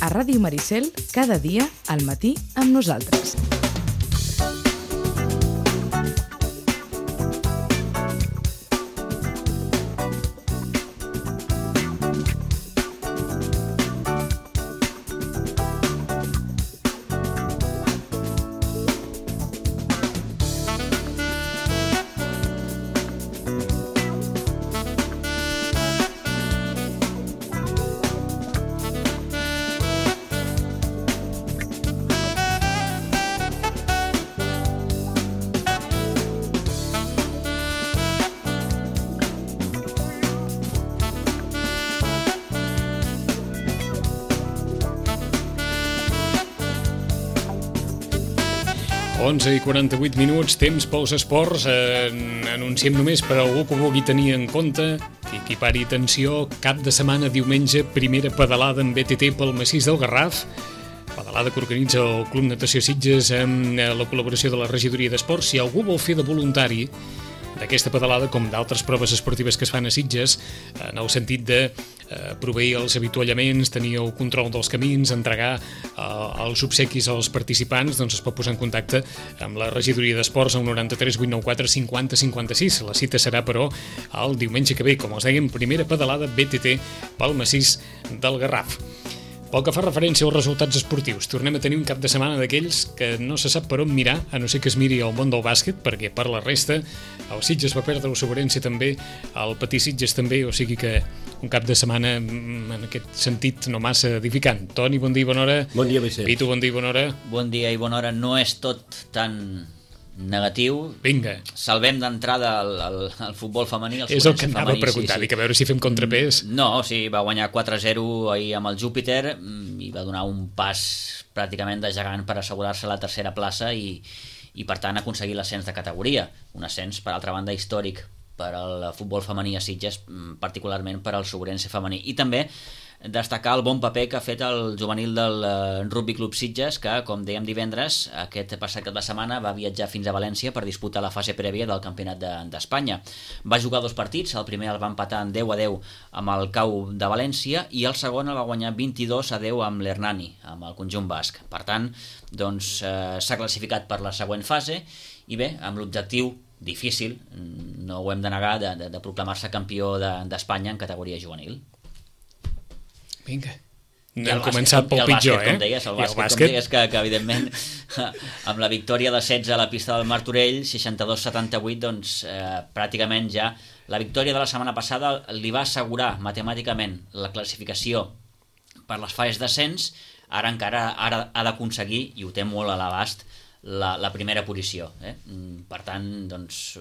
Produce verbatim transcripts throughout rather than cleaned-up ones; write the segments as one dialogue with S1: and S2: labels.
S1: a Ràdio Maricel cada dia al matí amb nosaltres.
S2: onze i quaranta-vuit minuts, temps pels esports. En, anunciem només per a algú que ho vulgui tenir en compte, que equipari atenció, cap de setmana, diumenge, primera pedalada en B T T pel massís del Garraf, pedalada que organitza el Club Natació Sitges amb la col·laboració de la Regidoria d'Esports. Si algú vol fer de voluntari d'aquesta pedalada, com d'altres proves esportives que es fan a Sitges, en el sentit de eh, proveir els avituallaments, tenir el control dels camins, entregar eh, els obsequis als participants, doncs es pot posar en contacte amb la Regidoria d'Esports al noranta-tres vuit nou quatre cinquanta cinquanta-sis. La cita serà, però, el diumenge que ve, com els dèiem, primera pedalada B T T pel massís del Garraf. Pel que fa referència als resultats esportius, tornem a tenir un cap de setmana d'aquells que no se sap per on mirar, a no ser que es miri al món del bàsquet, perquè per la resta el Sitges va perdre el Sobrense també, el Patí Sitges també, o sigui que un cap de setmana en aquest sentit no massa edificant. Toni, bon dia i bona hora.
S3: Bon dia, Vicent.
S2: Pitu, bon dia i bona hora.
S4: Bon dia i bona hora. No és tot tan negatiu.
S2: Vinga.
S4: Salvem d'entrada el, el, el futbol femení. El
S2: és el que anava
S4: femení,
S2: a preguntar,
S4: sí, sí.
S2: Dic, a veure si fem contrapès.
S4: No, sí, va guanyar quatre a zero ahir amb el Júpiter i va donar un pas pràcticament de gegant per assegurar-se la tercera plaça i, i per tant aconseguir l'ascens de categoria. Un ascens, per altra banda, històric per al futbol femení a Sitges, particularment per al Sobrense femení. I també destacar el bon paper que ha fet el juvenil del uh, Rugby Club Sitges, que, com dèiem divendres, aquest passat cap de setmana va viatjar fins a València per disputar la fase prèvia del Campionat d'Espanya. De, va jugar dos partits, el primer el va empatar en deu a deu amb el Cau de València i el segon el va guanyar vint-i-dos a deu amb l'Hernani, amb el conjunt basc. Per tant, doncs, uh, s'ha classificat per la següent fase i bé, amb l'objectiu difícil, no ho hem de negar, de, de, de proclamar-se campió d'Espanya de, en categoria juvenil.
S2: Vinga, no hem començat pel pitjor, eh?
S4: Com deies, el bàsquet, com deies, que, que evidentment amb la victòria de setze a la pista del Martorell, seixanta-dos a setanta-vuit, doncs eh, pràcticament ja la victòria de la setmana passada li va assegurar matemàticament la classificació per les fases d'ascens. Ara encara ara ha d'aconseguir, i ho té molt a l'abast, La, la primera posició. Eh? Per tant, doncs,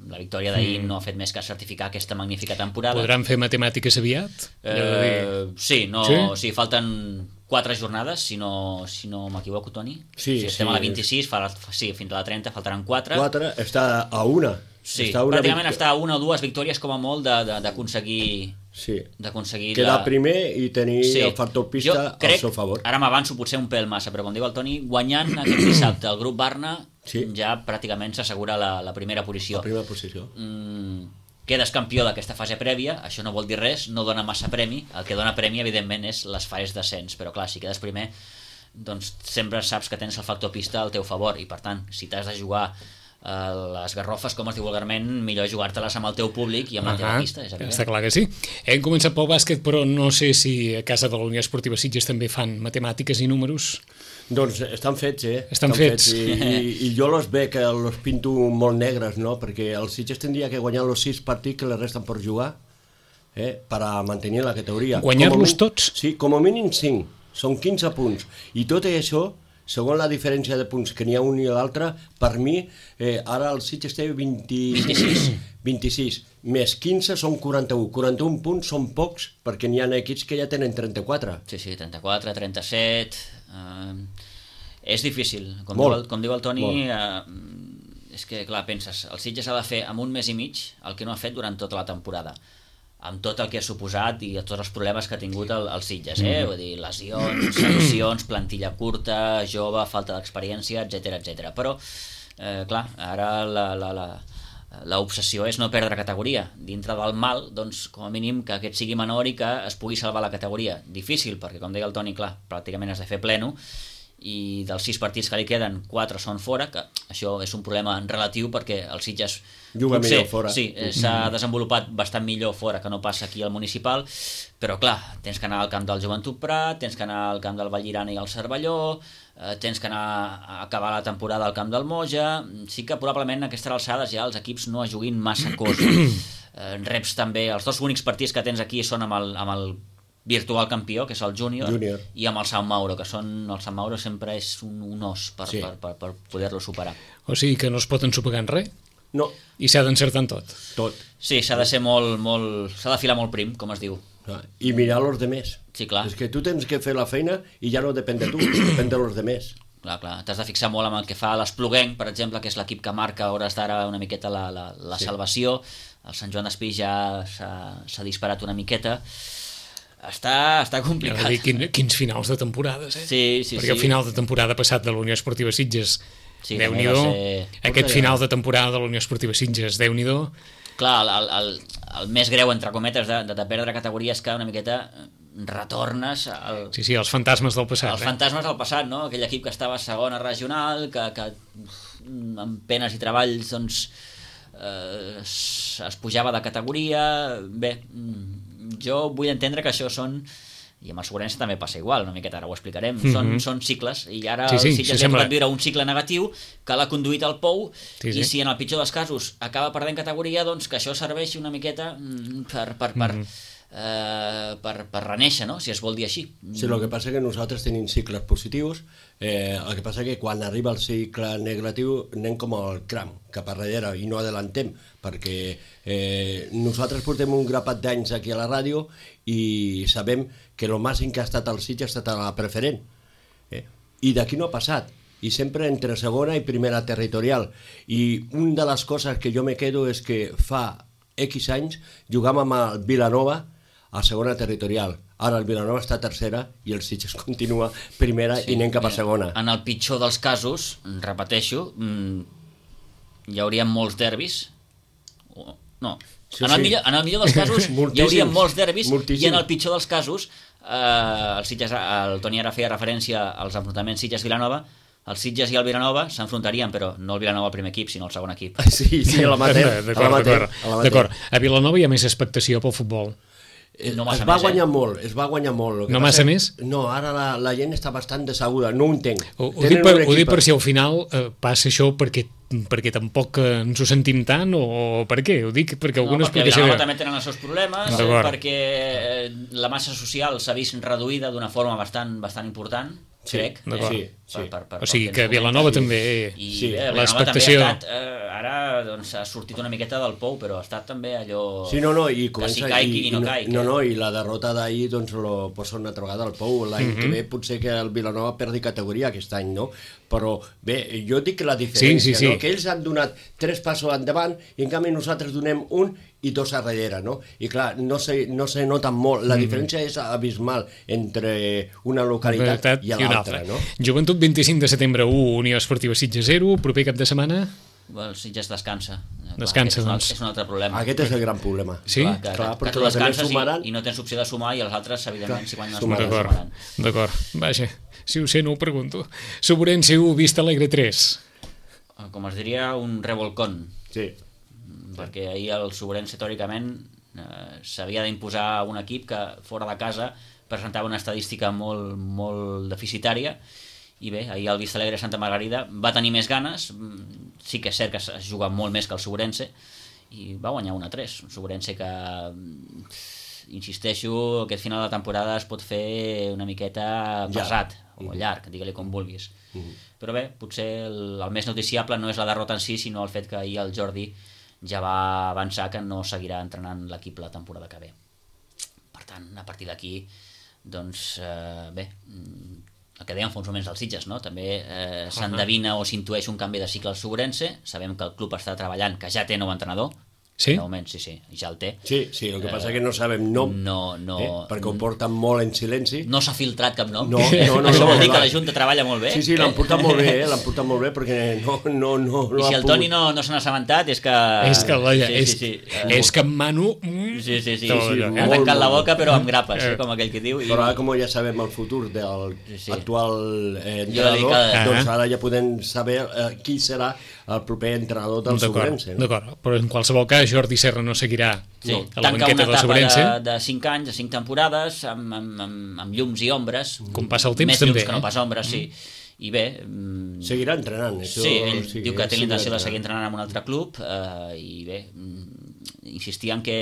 S4: la victòria d'ahir mm. no ha fet més que certificar aquesta magnífica temporada.
S2: Podran fer matemàtiques aviat?
S4: Eh, sí, no,
S2: sí?
S4: sí, falten quatre jornades, si no, si no m'equivoco, Toni.
S3: Sí,
S4: si estem
S3: sí,
S4: a la vint-i-sis, fa, sí, fins a la trenta faltaran quatre.
S3: Quatre, està a una.
S4: Sí,
S3: està una
S4: pràcticament
S3: vict...
S4: està a una o dues victòries com a molt d'aconseguir...
S3: Sí,
S4: d'aconseguir
S3: quedar
S4: la...
S3: primer i tenir
S4: sí.
S3: el factor pista
S4: crec,
S3: al seu favor.
S4: Ara m'avanço potser un pèl massa, però com diu el Toni, guanyant aquest dissabte el grup Barna, sí. ja pràcticament s'assegura la, la primera posició.
S3: La primera posició.
S4: Mm, quedes campió d'aquesta fase prèvia, això no vol dir res, no dona massa premi, el que dona premi evidentment és les fases d'ascens, però clar, si quedes primer, doncs sempre saps que tens el factor pista al teu favor, i per tant, si t'has de jugar les garrofes, com es diu vulgarment, millor jugar-te-les amb el teu públic i amb la teva pista, és evident.
S2: Està clar que sí. Hem començat pel bàsquet, però no sé si a casa de la Unió Esportiva Sitges també fan matemàtiques i números.
S3: Doncs estan fets, eh?
S2: Estan, estan fets.
S3: fets. I, i, I jo los veig, que los pinto molt negres, no? Perquè el Sitges tindria que guanyar els sis partits que li resten per jugar, eh? Per a mantenir la categoria.
S2: Guanyar-los tots?
S3: Sí, com a mínim cinc. Són quinze punts. I tot això, segons la diferència de punts que n'hi ha un i l'altre, per mi, eh, ara el Sitges té vint-i-sis, vint-i-sis, més quinze són quaranta-u. quaranta-un punts són pocs, perquè n'hi ha equips que ja tenen trenta-quatre.
S4: Sí, sí, trenta-quatre, trenta-set... Uh, és difícil. Com,
S3: molt,
S4: diu el, com diu el Toni, uh, és que, clar, penses, el Sitges ha de fer amb un mes i mig el que no ha fet durant tota la temporada, amb tot el que ha suposat i tots els problemes que ha tingut el, el Sitges, eh? Vull dir, lesions, sancions, plantilla curta, jove, falta d'experiència, etcètera, etcètera. Però, eh, clar, ara la, la, la, l'obsessió és no perdre categoria. Dintre del mal, doncs, com a mínim, que aquest sigui menor i que es pugui salvar la categoria. Difícil, perquè, com deia el Toni, clar, pràcticament has de fer pleno, i dels sis partits que li queden, quatre són fora, que això és un problema relatiu perquè el Sitges
S3: juga
S4: potser,
S3: millor fora.
S4: Sí, s'ha desenvolupat bastant millor fora que no passa aquí al municipal, però clar, tens que anar al camp del Joventut Prat, tens que anar al camp del Vallirana i al Cervelló, eh, tens que anar a acabar la temporada al camp del Moja. Sí que probablement a aquestes alçades ja els equips no es juguin massa cosa. eh, reps també, els dos únics partits que tens aquí són amb el, amb el virtual campió, que és el júnior,
S3: Júnior.
S4: i amb el Sant Mauro, que són, el Sant Mauro sempre és un, un os per,
S3: Sí.
S4: per, per, per poder-lo superar.
S2: O sigui que no es pot ensopegar en res
S3: No,
S2: i s'ha d'encertar en tot.
S3: tot.
S4: Sí, s'ha de ser molt, molt... s'ha de filar molt prim, com es diu.
S3: I mirar los demés.
S4: Sí, clar.
S3: És que tu tens que fer la feina i ja no depèn de tu, depèn de los demés.
S4: Clar, clar, t'has de fixar molt amb el que fa l'Espluguenc, per exemple, que és l'equip que marca a hores d'ara una miqueta la, la, la
S3: Sí.
S4: salvació. El Sant Joan d'Espí ja s'ha disparat una miqueta. Està, està
S2: Anava
S4: complicat.
S2: a dir, quin, quins finals de temporades, eh?
S4: Sí, sí,
S2: Perquè
S4: sí.
S2: el final de temporada passat de la Unió Esportiva Sitges,
S4: Sí,
S2: Déu-n'hi-do,
S4: també va ser-
S2: aquest
S3: Puta,
S2: final
S3: ja.
S2: de temporada de la Unió Esportiva Sitges, Déu-n'hi-do,
S4: Clar, el, el, el, el més greu, entre cometes, de, de, de perdre categoria és que una miqueta retornes al,
S2: sí, sí, els fantasmes del passat,
S4: els
S2: eh?
S4: fantasmes del passat, no? Aquell equip que estava a segona regional, que, que amb penes i treballs doncs, eh, es, es pujava de categoria. Bé, mm, jo vull entendre que això són, i amb el Segurense també passa igual, una miqueta ara ho explicarem, mm -hmm. són, són cicles, i ara
S2: Sí, sí,
S4: el Sitges
S2: sí,
S4: ha
S2: sembla-
S4: tocat viure un cicle negatiu que l'ha conduït al pou,
S2: Sí, sí.
S4: i si en el pitjor dels casos acaba perdent categoria, doncs que això serveixi una miqueta mm, per, per, per,
S2: Mhm.
S4: eh, per, per reneixer, no? Si es vol dir així.
S3: Sí, el que passa que nosaltres tenim cicles positius, eh, el que passa que quan arriba el cicle negatiu anem com el cram, cap a darrere, i no adelantem, perquè eh, nosaltres portem un grapat d'anys aquí a la ràdio i sabem que el màxim que ha estat el Sitges ha estat a la preferent. Eh? I d'aquí no ha passat, i sempre entre segona i primera territorial. I una de les coses que jo me quedo és que fa X anys jugàvem amb el Vilanova a segona territorial. Ara el Vilanova està a tercera i el Sitges continua primera sí, i anem cap a segona.
S4: En el pitjor dels casos, repeteixo, mm, hi hauria molts derbis. O, no,
S3: Sí,
S4: en, el
S3: sí.
S4: millor, en el millor dels casos hi
S3: Moltíssims,
S4: hauria molts derbis,
S3: moltíssims.
S4: i en el pitjor dels casos, eh, el, Sitges, el Toni ara feia referència als enfrontaments Sitges-Vilanova. El Sitges i el Vilanova s'enfrontarien, però no el Vilanova al primer equip, sinó al segon equip.
S3: Sí, sí, a l'amater.
S2: D'acord, d'acord. D'acord. A Vilanova hi ha més expectació pel futbol.
S4: No
S3: es
S4: massa
S3: va
S4: més,
S3: guanyar
S4: eh?
S3: molt, es va guanyar molt. El que
S2: No
S3: passa-
S2: massa més?
S3: No, ara la, la gent està bastant desaguda, no ho entenc.
S2: Ho, ho,
S3: Tenen
S2: dic per,
S3: un
S2: ho dic
S3: equip-
S2: per si al final eh, passa això perquè, perquè tampoc eh, ens ho sentim tant, o per què? Ho dic perquè
S4: No,
S2: alguna
S4: perquè a
S2: explicació...
S4: Vilanova també tenen els seus problemes, eh,
S2: D'acord.
S4: perquè eh, la massa social s'ha vist reduïda d'una forma bastant bastant important,
S3: Sí,
S4: crec.
S2: d'acord.
S3: Sí, sí.
S2: O sigui
S4: pel
S2: que
S4: ens
S2: Vilanova
S4: comentes.
S2: també...
S4: I
S3: Sí,
S4: bé, Vilanova
S2: l'expectació-
S4: també ha estat, eh, ara doncs, ha sortit una miqueta del pou, però ha estat també allò
S3: Sí, no, no, i
S4: que
S3: comença...
S4: si caigui i, no,
S3: no,
S4: caigui.
S3: no, no, i la derrota d'ahir doncs lo posa una altra vegada al pou. L'any
S2: Mhm.
S3: que ve potser que el Vilanova perdi categoria aquest any, no? Però bé, jo dic que la diferència,
S2: Sí, sí, sí.
S3: no? Que ells han donat tres passos endavant i en canvi nosaltres donem un i dos a darrere, no? I clar, no se, no se nota molt. La diferència és abismal entre una localitat
S2: Veritat
S3: i
S2: una
S3: l'altra,
S2: altra.
S3: no?
S2: Joventut vint-i-cinc de setembre u, Unió Esportiva Sitges zero, proper cap de setmana...
S4: Bueno, el Sitges descansa.
S2: Descansa,
S4: Clar, aquest és un,
S2: doncs.
S4: és un altre problema.
S3: Aquest és el gran problema.
S2: Sí?
S4: Clar, que,
S3: Clar,
S4: que
S3: perquè
S4: tu
S3: les altres
S4: descanses
S3: sumaran.
S4: i, i no tens opció de sumar, i els altres, evidentment,
S3: Clar,
S4: si guanyen els
S3: sumaran.
S4: punts,
S2: D'acord,
S4: sumaran.
S2: d'acord. Vaja, si ho sé no ho pregunto. Soburense u, Vista Alegre tres.
S4: Com es diria, un revolcón.
S3: Sí.
S4: Perquè ahir el Sobrense teòricament eh, s'havia d'imposar un equip que fora de casa presentava una estadística molt, molt deficitària, i bé, ahir el Vista Alegre Santa Margarida va tenir més ganes, mm, sí que és cert que es juga molt més que el Sobrense, i va guanyar un a tres. Un Sobrense que, mm, insisteixo, aquest final de temporada es pot fer una miqueta pesat, o llarg, digue-li com vulguis. Però bé, potser el, el més noticiable no és la derrota en si, sinó el fet que ahir el Jordi ja va avançar que no seguirà entrenant l'equip la temporada que ve. Per tant, a partir d'aquí, doncs, eh, bé, el que dèiem fa uns moments dels Sitges, no? També eh, s'endevina o s'intueix un canvi de cicle al Sobrense. Sabem que el club està treballant, que ja té nou entrenador,
S2: Sí?
S4: De moment, sí, sí, ja el té.
S3: Sí, sí, el que passa és que no sabem nom,
S4: No, no,
S3: eh? perquè ho porten molt en silenci.
S4: no s'ha filtrat cap nom.
S3: No, no, no,
S4: Això
S3: no,
S4: vol dir
S3: no.
S4: que la Junta treballa molt bé.
S3: Sí, sí, l'han portat molt bé, eh? l'han portat molt bé, perquè no, no, no, no
S4: I si
S3: ha
S4: el Toni
S3: pogut-
S4: no, no se n'ha assabentat és que...
S2: És que, la,
S4: sí,
S2: és,
S4: sí, sí.
S2: és que en Manu... mm,
S4: Sí, sí, sí,
S2: tot
S4: sí,
S2: allò,
S4: ha
S2: eh?
S4: tancat la
S3: molt,
S4: boca però amb grapes,
S2: Eh.
S4: eh, com aquell que diu. I...
S3: Però ara, com ja sabem el futur del
S4: Sí, sí.
S3: actual eh,
S4: Jo dic
S3: entrenador,
S4: que-
S3: doncs
S2: Ah.
S3: ara ja podem saber eh, qui serà el proper entrenador del
S2: D'acord,
S3: Sobrense. No?
S2: d'acord, però en qualsevol cas Jordi Serra no seguirà
S4: Sí,
S2: a la
S4: tanca
S2: banqueta
S4: una
S2: del
S4: etapa
S2: Sobrense.
S4: de, de cinc anys, de cinc temporades, amb, amb, amb, amb llums i ombres.
S2: Com passa el temps,
S4: Més
S2: també,
S4: llums que no
S2: eh?
S4: pas ombres, sí. I bé... mm,
S3: Seguirà entrenant. Això,
S4: Sí, ell
S3: sí,
S4: diu que té
S3: ell
S4: la intenció de
S3: seguirà
S4: seguir entrenant en un altre club eh, i bé, mm, insistir en que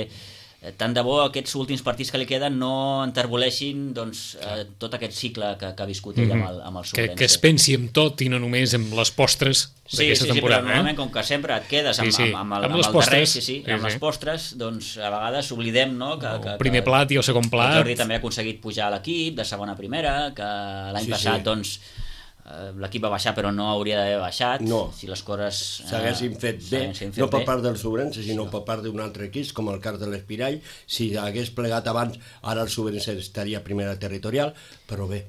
S4: eh, tant de bo aquests últims partits que li queden no enterboleixin doncs, eh, tot aquest cicle que, que ha viscut ell amb el, amb el
S2: Que,
S4: Sobrense.
S2: que es pensi en tot i no només en les postres
S4: Sí,
S2: d'aquesta
S4: sí, sí, però
S2: temporada.
S4: normalment
S2: eh?
S4: com que sempre et quedes amb,
S2: Sí, sí.
S4: amb, amb, el,
S2: Amb
S4: amb,
S2: les
S4: el darrer,
S2: postres.
S4: sí, sí,
S2: Sí,
S4: amb
S2: sí.
S4: les postres, doncs a vegades oblidem no, que, que,
S2: El primer
S4: que,
S2: plat i el segon
S4: que
S2: plat.
S4: el Jordi també ha aconseguit pujar a l'equip de segona a primera, que l'any
S3: Sí,
S4: passat
S3: sí.
S4: doncs eh, l'equip va baixar però no hauria d'haver baixat
S3: No.
S4: si les coses eh,
S3: s'haguessin fet bé,
S4: s'haguessin fet
S3: no per
S4: bé.
S3: part del Sobrense, sinó per part d'un altre equip, com el cas de l'Espirall. Si hagués plegat abans, ara el Sobrense estaria a primera territorial, però bé,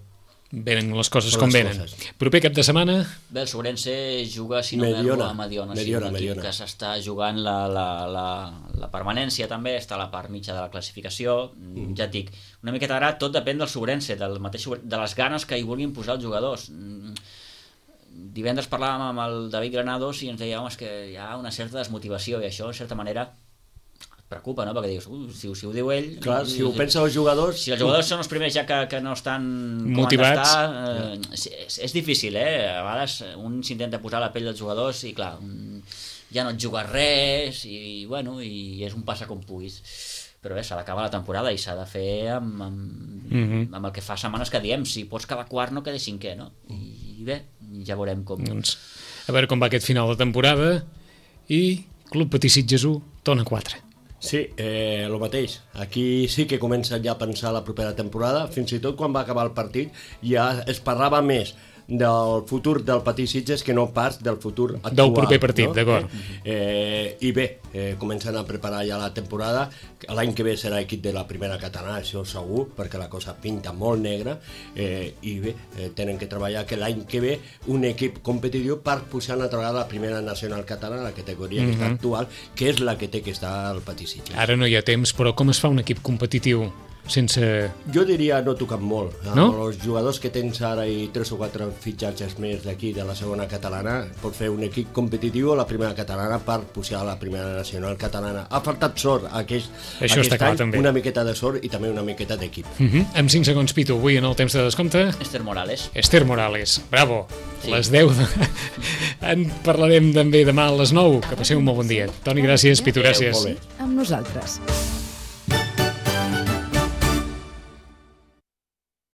S2: Venen les coses
S3: Són
S2: com
S3: les
S2: venen.
S3: coses.
S2: Proper cap de setmana,
S4: Bé, el Sobrense juga, si no
S3: Mediona.
S4: m'erro, a Mediona,
S3: Mediona,
S4: sí, un equip
S3: Mediona.
S4: que s'està jugant la, la, la, la permanència també, està a la part mitja de la classificació, mm. ja et dic, una miqueta ara tot depèn del Sobrense, del mateix, Sobrense, de les ganes que hi vulguin posar els jugadors. Mm, divendres parlàvem amb el David Granados i ens deia, home, és que hi ha una certa desmotivació i això, en certa manera, et preocupa, no? Perquè dius, uh, si, si ho diu ell...
S3: clar, si ho pensen els jugadors...
S4: Si els jugadors són els primers ja que, que no estan
S2: Motivats.
S4: com han d'estar, eh, és, és difícil, eh? A vegades un s'intenta posar a la pell dels jugadors i clar, un, ja no et jugues res i bueno, i és un passa com puguis. Però bé, s'ha d'acabar la temporada i s'ha de fer amb, amb,
S2: mm -hmm.
S4: amb el que fa setmanes que diem, si pots quedar quart no quedis cinquè, no? I bé, ja veurem com...
S2: doncs, a veure com va aquest final de temporada i Club Patí Sitges u, Tona quatre.
S3: Sí, eh, el mateix. Aquí sí que comença ja a pensar la propera temporada. Fins i tot quan va acabar el partit ja es parlava més del futur del Patí Sitges que no pas del futur actual.
S2: Del proper partit,
S3: no?
S2: d'acord.
S3: Eh, I bé, eh, comencen a preparar ja la temporada. L'any que ve serà equip de la primera catalana, això segur, perquè la cosa pinta molt negra. Eh, I bé, eh, tenen que treballar que l'any que ve un equip competitiu per pujar una altra vegada a la primera nacional catalana, la categoria que està actual, que és la que té que estar al Patí Sitges.
S2: Ara no hi ha temps, però com es fa un equip competitiu sense...
S3: Jo diria no tocant molt. Amb
S2: No?
S3: els jugadors que tens ara i tres o quatre fitxatges més d'aquí de la segona catalana, pots fer un equip competitiu a la primera catalana per pujar a la primera nacional catalana. Ha faltat sort aquest,
S2: Això
S3: aquest
S2: està clar,
S3: any,
S2: també.
S3: una miqueta de sort i també una miqueta d'equip.
S2: Uh -huh. Amb cinc segons, Pitu, avui en el temps de descompte,
S4: Esther Morales.
S2: Esther Morales, bravo.
S4: Sí.
S2: Les deu de... En parlarem també demà a les nou. Que passeu un molt bon dia. Toni, gràcies. Pitu,
S3: Molt
S2: gràcies.
S3: bé.
S1: Amb nosaltres.